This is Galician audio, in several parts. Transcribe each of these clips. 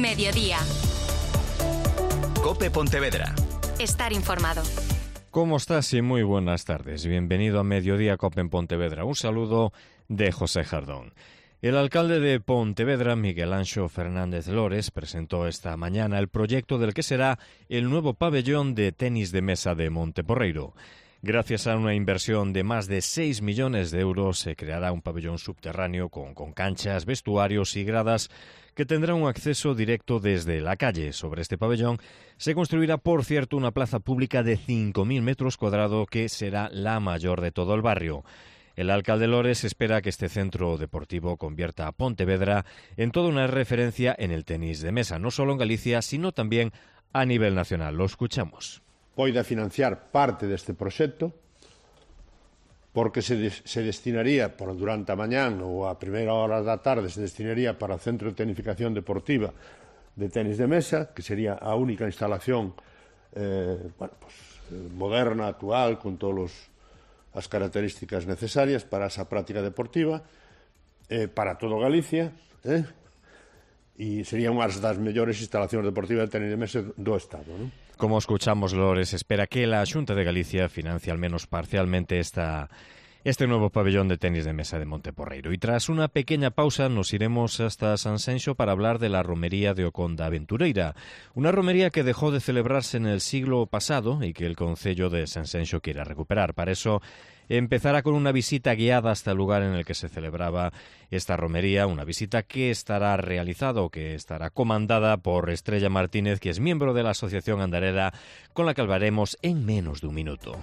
Mediodía. COPE Pontevedra. Estar informado. ¿Cómo estás? Y muy buenas tardes. Bienvenido a Mediodía COPE en Pontevedra. Un saludo de José Jardón. El alcalde de Pontevedra, Miguel Anxo Fernández Lores, presentó esta mañana el proyecto del que será el nuevo pabellón de tenis de mesa de Monteporreiro. Gracias a una inversión de más de 6 millones de euros, se creará un pabellón subterráneo con canchas, vestuarios y gradas que tendrá un acceso directo desde la calle. Sobre este pabellón se construirá, por cierto, una plaza pública de 5.000 metros cuadrados que será la mayor de todo el barrio. El alcalde Lores espera que este centro deportivo convierta a Pontevedra en toda una referencia en el tenis de mesa, no solo en Galicia, sino también a nivel nacional. Lo escuchamos. Poida financiar parte deste proxecto porque se destinaría durante a mañán ou a primeira hora da tarde se destinaría para o Centro de Tenificación Deportiva de tenis de mesa, que sería a única instalación moderna, actual, con todas as características necesarias para esa práctica deportiva para todo Galicia, e sería unha das mellores instalacións deportivas de tenis de mesa do Estado, non? Como escuchamos, Lores espera que la Xunta de Galicia financie al menos parcialmente este nuevo pabellón de tenis de mesa de Monteporreiro. Y tras una pequeña pausa nos iremos hasta Sanxenxo para hablar de la romería de Oconda Aventureira, una romería que dejó de celebrarse en el siglo pasado y que el concello de Sanxenxo quiere recuperar. Para eso empezará con una visita guiada hasta el lugar en el que se celebraba esta romería, una visita que estará realizada o que estará comandada por Estrella Martínez, que es miembro de la Asociación Andarela, con la que hablaremos en menos de un minuto.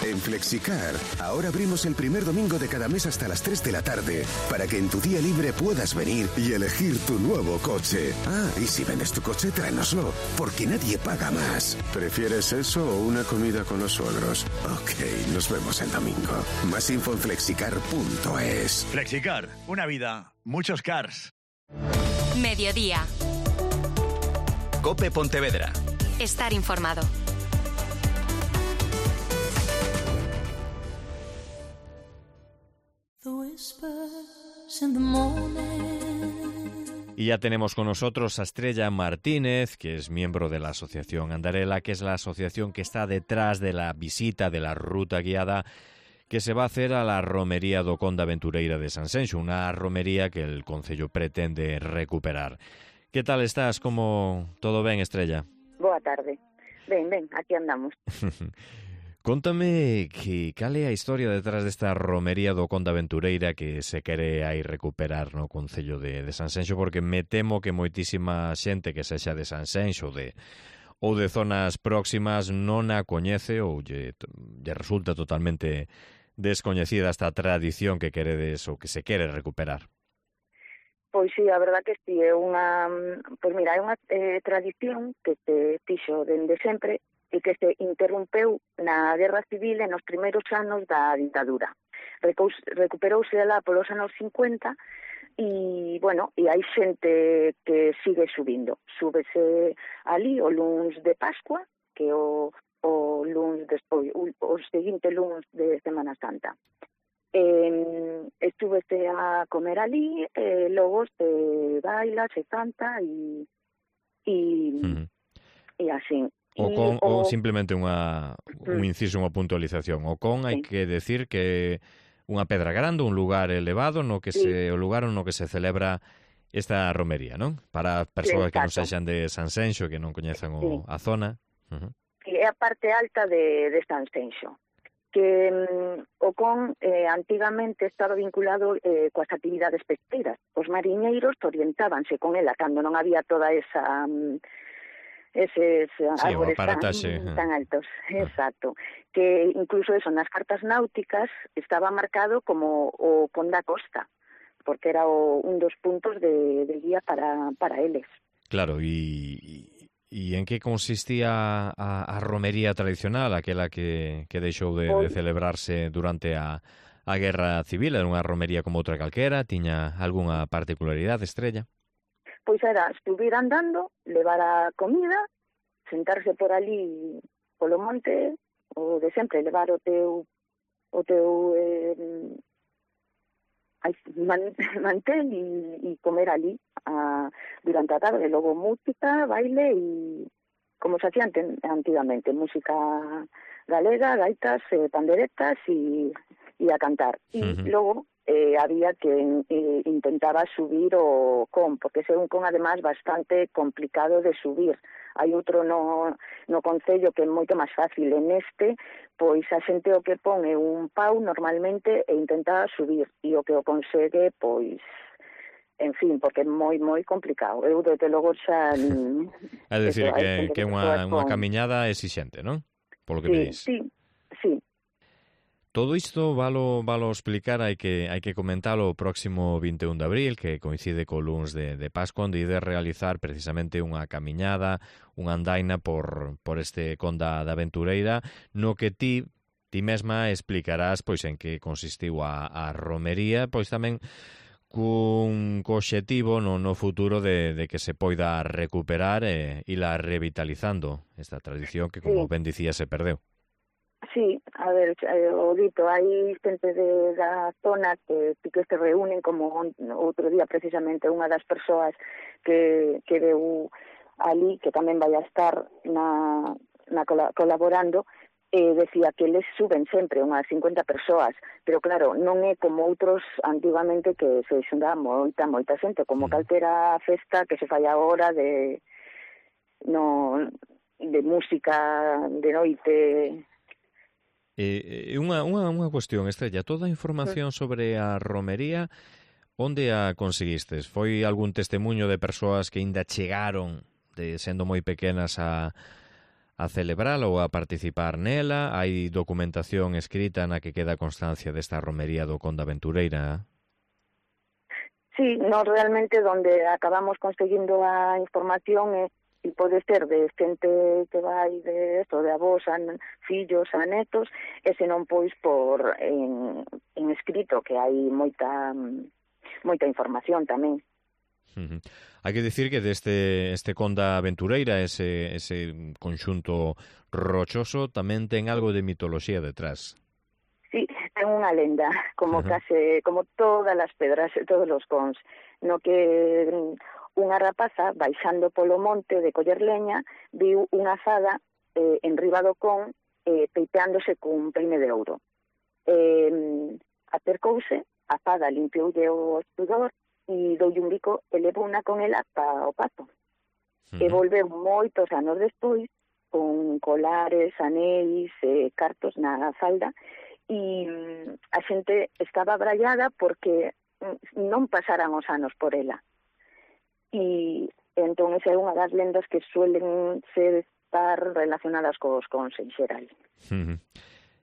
En Flexicar, ahora abrimos el primer domingo de cada mes hasta las 3 de la tarde, para que en tu día libre puedas venir y elegir tu nuevo coche. Ah, y si vendes tu coche, tráenoslo, porque nadie paga más. ¿Prefieres eso o una comida con los suegros? Ok, nos vemos el domingo. Más info en flexicar.es. Flexicar, una vida, muchos cars. Mediodía. COPE Pontevedra. Estar informado. Y ya tenemos con nosotros a Estrella Martínez, que es miembro de la Asociación Andarela, que es la asociación que está detrás de la visita de la ruta guiada que se va a hacer a la romería do Oconda Aventureira de Sanxenxo, una romería que el concello pretende recuperar. ¿Qué tal estás? ¿Cómo todo ben, Estrella? Boa tarde. Ben, aquí andamos. Cóntame cal é a historia detrás desta romería do Oconda Aventureira que se quere aí recuperar no concello de Sanxenxo, porque me temo que moitísima xente que sexa de Sanxenxo ou de zonas próximas non a coñece ou lle resulta totalmente descoñecida esta tradición que queredes ou que se quere recuperar. Pois sí, a verdad que sí, é unha tradición que se fixo dende sempre e que se interrompeu na Guerra Civil e nos primeiros anos da ditadura. Recuperouse lá polos anos 50 e, bueno, e hai xente que sigue subindo. Súbese ali o luns de Pascua, que o luns despois, o seguinte luns de Semana Santa. Estúvese a comer ali, logo se baila, se canta e así. Ou simplemente un inciso, unha puntualización. O con hai que decir que unha pedra grande, un lugar elevado no que o lugar no que se celebra esta romería, non? Para persoas que non sexan de Sanxenxo, que non coñezan a zona. É a parte alta de Sanxenxo, que o con antigamente estaba vinculado coas actividades pesqueiras. Os mariñeiros orientábanse con ela cando non había toda esa eses árbores tan altos, exacto, que incluso eso nas cartas náuticas estaba marcado como o Pont da Costa, porque era un dos puntos de guía para eles. Claro, e en que consistía a romería tradicional, aquela que deixou de celebrarse durante a Guerra Civil? Era unha romería como outra calquera? Tiña algunha particularidade, Estrella? Pois era subir andando, levar a comida, sentarse por ali polo monte, o de sempre, levar o teu mantel e comer ali durante a tarde, logo música, baile e como se hacía antigamente, música galega, gaitas, panderetas e a cantar. E logo había que intentaba subir o con, porque ese un con además bastante complicado de subir. Hai outro no concello que é moito máis fácil. En este, pois a xente o que pon é un pau normalmente e intenta subir, e o que o consegue, pois, en fin, porque é moi complicado. Eu desde logo xa... É dicir, que é unha camiñada exixente, non? Polo que me dis. Sí. Todo isto valo explicar, hai que comentalo o próximo 21 de abril, que coincide co luns de Pascua, onde ide realizar precisamente unha camiñada, unha andaina por este Conda da Aventureira, no que ti mesma explicarás pois en que consistiu a romería, pois tamén cun obxectivo no futuro de que se poida recuperar e la revitalizando esta tradición que, como ben dicía, se perdeu. Sí, a ver, o dito, hai xente da zona que se reúnen, como outro día precisamente unha das persoas que deu ali, que tamén vai a estar colaborando, decía que eles suben sempre unhas 50 persoas, pero claro, non é como outros antigamente que se xunda moita xente, como calquera festa que se fai agora de música de noite. Unha cuestión, Estrella, toda a información sobre a romería, onde a conseguistes? Foi algún testemunho de persoas que ainda chegaron, sendo moi pequenas, a celebrala ou a participar nela? Hai documentación escrita na que queda constancia desta romería do Conda Aventureira? Sí, realmente donde acabamos conseguindo a información e pode ser de xente que vai de avós a fillos a netos, e senón pois por en escrito, que hai moita información tamén. Hai que dicir que deste Conda Aventureira, ese conxunto rochoso, tamén ten algo de mitoloxía detrás. Sí, ten unha lenda, como todas as pedras e todos os cons, no que unha rapaza, baixando polo monte de coller leña, viu unha fada enriba do con peiteándose cun peine de ouro. Acercouse, a fada limpioulle o sudor e doulle un bico e levou unha con ela para o pazo. E volveu moitos anos despois con colares, anéis, cartos na falda, e a xente estaba brallada porque non pasaran os anos por ela. E entón esa é unha das lendas que suelen estar relacionadas cos cons en xeral.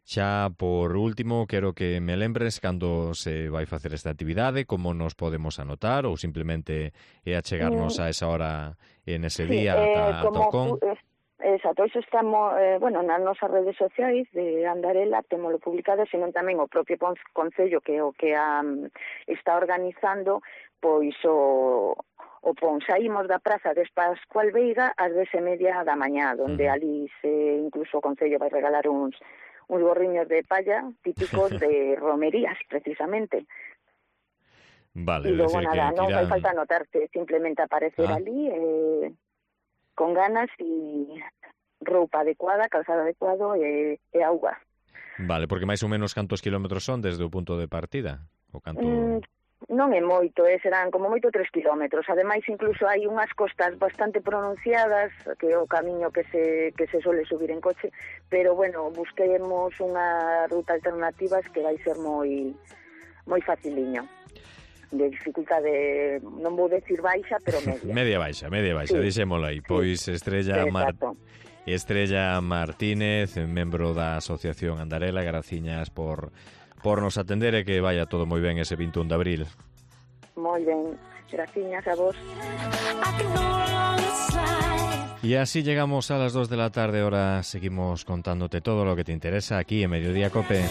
Xa por último, quero que me lembres cando se vai facer esta actividade, como nos podemos anotar, ou simplemente é achegarnos a esa hora en ese día ata o con. Exacto, iso estamos, nas nosas redes sociais de Andarela, temolo publicado, senón tamén o propio Concello, que é o que está organizando, pois o pon. Saímos da praza de Pascual Veiga ás 10:30 da mañá, onde ali incluso o Concello vai regalar uns gorriños de palla típicos de romerías, precisamente. Vale, e logo nada, non fai falta anotarte, simplemente aparecer ali con ganas e roupa adecuada, calzado adecuado e auga. Vale, porque máis ou menos cantos kilómetros son desde o punto de partida? O canto... Non é moito, serán como moito 3 kilómetros. Ademais, incluso hai unhas costas bastante pronunciadas, que é o camiño que se suele subir en coche, pero, bueno, busquemos unha ruta alternativa que vai ser moi faciliño. De dificultade, non vou decir baixa, pero media. media baixa, dixémola aí. Pois Estrella Martínez, membro da Asociación Andarela, graciñas por nos atender e que vaya todo moi ben ese 21 de abril. Moi ben, graciñas a vos. Y así llegamos a las 2 de la tarde, ahora seguimos contándote todo lo que te interesa aquí en Mediodía Cope.